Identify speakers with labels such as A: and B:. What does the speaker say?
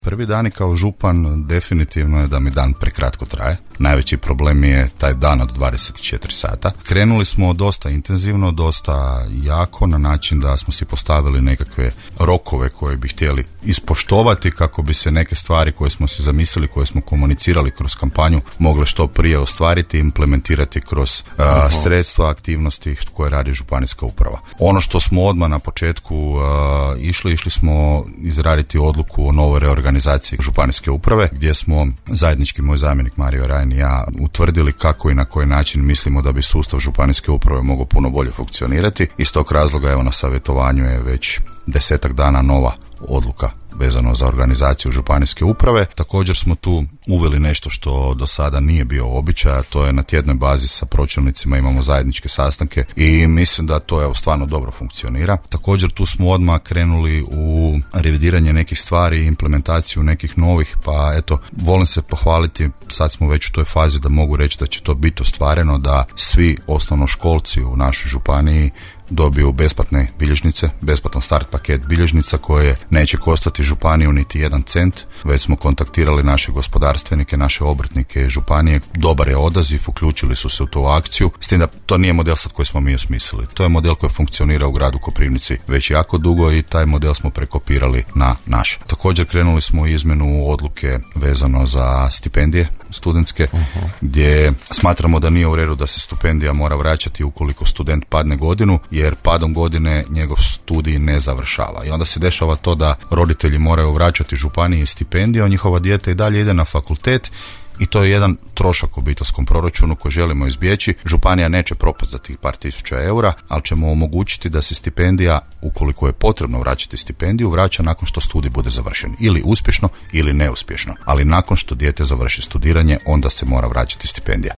A: Prvi dani kao župan definitivno je da mi dan prekratko traje. Najveći problem je taj dan od 24 sata. Krenuli smo dosta intenzivno, dosta jako, na način da smo si postavili nekakve rokove koje bi htjeli ispoštovati kako bi se neke stvari koje smo si zamislili, koje smo komunicirali kroz kampanju, mogle što prije ostvariti i implementirati kroz sredstva, aktivnosti koje radi županijska uprava. Ono što smo odmah na početku išli smo izraditi odluku o novoj reorganizaciji županijske uprave, gdje smo zajednički, moj zamjenik Mario Rajn i ja, utvrdili kako i na koji način mislimo da bi sustav županijske uprave mogao puno bolje funkcionirati. Iz tog razloga, evo, na savjetovanju je već 10 dana nova odluka vezano za organizaciju županijske uprave. Također smo tu uveli nešto što do sada nije bio običaj, a to je na tjednoj bazi sa pročelnicima imamo zajedničke sastanke i mislim da to evo stvarno dobro funkcionira. Također tu smo odmah krenuli u revidiranje nekih stvari i implementaciju nekih novih, pa eto, volim se pohvaliti, sad smo već u toj fazi da mogu reći da će to biti ostvareno, da svi osnovnoškolci u našoj županiji dobiju besplatne bilježnice, besplatan start paket bilježnica koje neće koštati županiju niti 1 cent. Već smo kontaktirali naše gospodarstvenike, naše obrtnike županije. Dobar je odaziv, uključili su se u tu akciju. S tim da to nije model sad koji smo mi osmislili. To je model koji funkcionira u gradu Koprivnici već jako dugo i taj model smo prekopirali na naš. Također krenuli smo u izmjenu odluke vezano za stipendije studentske, gdje smatramo da nije u redu da se stipendija mora vraćati ukoliko student padne godinu, jer padom godine njegov studij ne završava. I onda se dešava to da roditelji moraju vraćati županiji stipendiju, a njihova dijete i dalje ide na fakultet i to je jedan trošak obiteljskom proračunu koji želimo izbjeći. Županija neće propasti za tih par tisuća eura, ali ćemo omogućiti da se stipendija, ukoliko je potrebno vraćati stipendiju, vraća nakon što studij bude završen. Ili uspješno ili neuspješno. Ali nakon što dijete završi studiranje, onda se mora vraćati stipendija.